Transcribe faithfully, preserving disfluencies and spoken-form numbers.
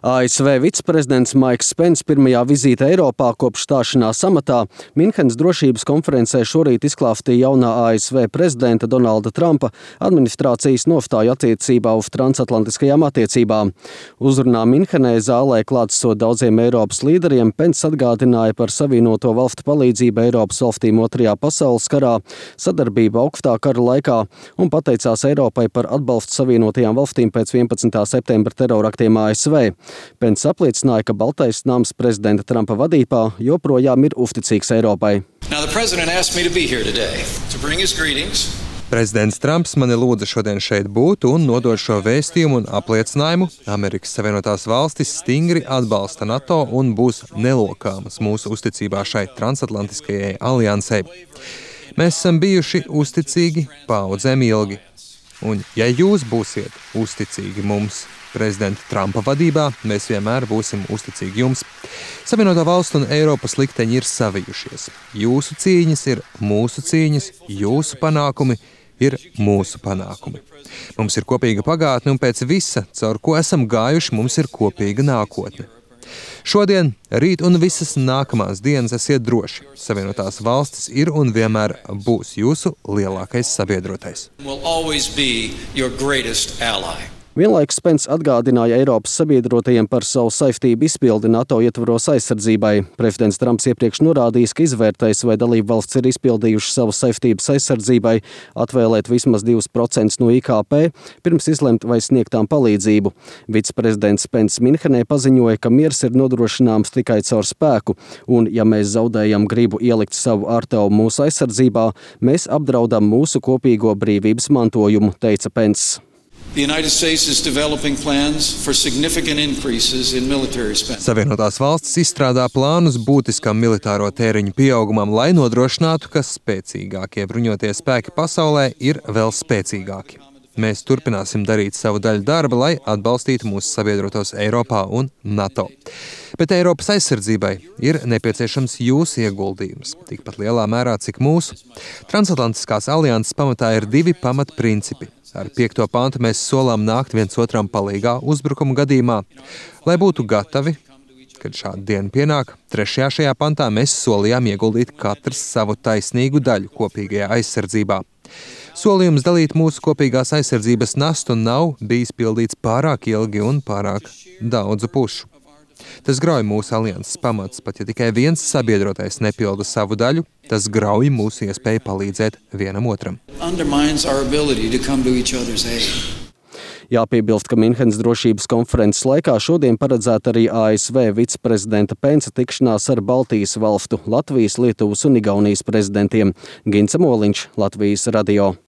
A S V viceprezidents Maiks Pence pirmajā vizīte Eiropā kopš stāšanās amatā Minhenes drošības konferencē šorīt izklāstīja jaunā A S V prezidenta Donalda Trumpa administrācijas nostāju attiecībā uz transatlantiskajām attiecībām. Uzrunā Minhenē zālē klātsot daudziem Eiropas līderiem, Pence atgādināja par Savienoto valstu palīdzību Eiropas valstīm otrajā pasaules karā, sadarbību augstā kara laikā un pateicās Eiropai par atbalstu Savienotajām valstīm pēc vienpadsmitā septembra teroraktiem A S V. Pence apliecināja, ka Baltais nams prezidenta Trumpa vadībā joprojām ir uzticīgs Eiropai. Prezidents Trumps mani lūdza šodien šeit būt un nodot šo vēstījumu un apliecinājumu. Amerikas Savienotās valstis stingri atbalsta NATO un būs nelokāmas mūsu uzticībā šai transatlantiskajai aliansei. Mēs esam bijuši uzticīgi paudzēm ilgi. Un ja jūs būsiet uzticīgi mums, prezidenta Trumpa vadībā, mēs vienmēr būsim uzticīgi jums. Savienotā valstu un Eiropas likteņi ir savijušies. Jūsu cīņas ir mūsu cīņas, jūsu panākumi ir mūsu panākumi. Mums ir kopīga pagātne un pēc visa, caur ko esam gājuši, mums ir kopīga nākotne. Šodien, rīt un visas nākamās dienas esiet droši. Savienotās valstis ir un vienmēr būs jūsu lielākais sabiedrotais. Vienlaikus Pence atgādināja Eiropas sabiedrotajiem par savu saistību izpildi NATO ietvaros aizsardzībai. Prezidents Trumps iepriekš norādījis, ka izvērtējis, vai dalību valsts ir izpildījušas savas saistības aizsardzībai, atvēlēt vismaz divus procentus no I K P, pirms izlemt vai sniegtām palīdzību. Viceprezidents Pence Minhenē paziņoja, ka miers ir nodrošināms tikai caur spēku, un ja mēs zaudējam gribu ielikt savu ārtavu mūsu aizsardzībā, mēs apdraudam mūsu kopīgo brīvības mantojumu, teica Pence. Savienotās valstis izstrādā plānus būtiskam militāro tēriņu pieaugumam, lai nodrošinātu, ka spēcīgākie bruņotie spēki pasaulē ir vēl spēcīgāki. Mēs turpināsim darīt savu daļu darba, lai atbalstītu mūsu sabiedrotos Eiropā un NATO. Bet Eiropas aizsardzībai ir nepieciešams jūsu ieguldījums, tikpat lielā mērā, cik mūsu. Transatlantiskās alianses pamatā ir divi pamatprincipi. Ar piekto pantu mēs solām nākt viens otram palīgā uzbrukuma gadījumā, lai būtu gatavi, kad šāda diena pienāk. Trešajā šajā pantā mēs solījām ieguldīt katrs savu taisnīgu daļu kopīgajā aizsardzībā. Solījums dalīt mūsu kopīgās aizsardzības nastu nav bijis pildīts pārāk ilgi un pārāk daudzu pušu. Tas grauj mūsu alianses pamats, pat ja tikai viens sabiedrotais nepilda savu daļu, tas grauj mūsu iespēju palīdzēt vienam otram. Jāpiebilst, ka Minhenes drošības konferences laikā šodien paredzēta arī A S V viceprezidenta Pence tikšanās ar Baltijas valstu, Latvijas, Lietuvas un Igaunijas prezidentiem. Gints Moliņš, Latvijas radio.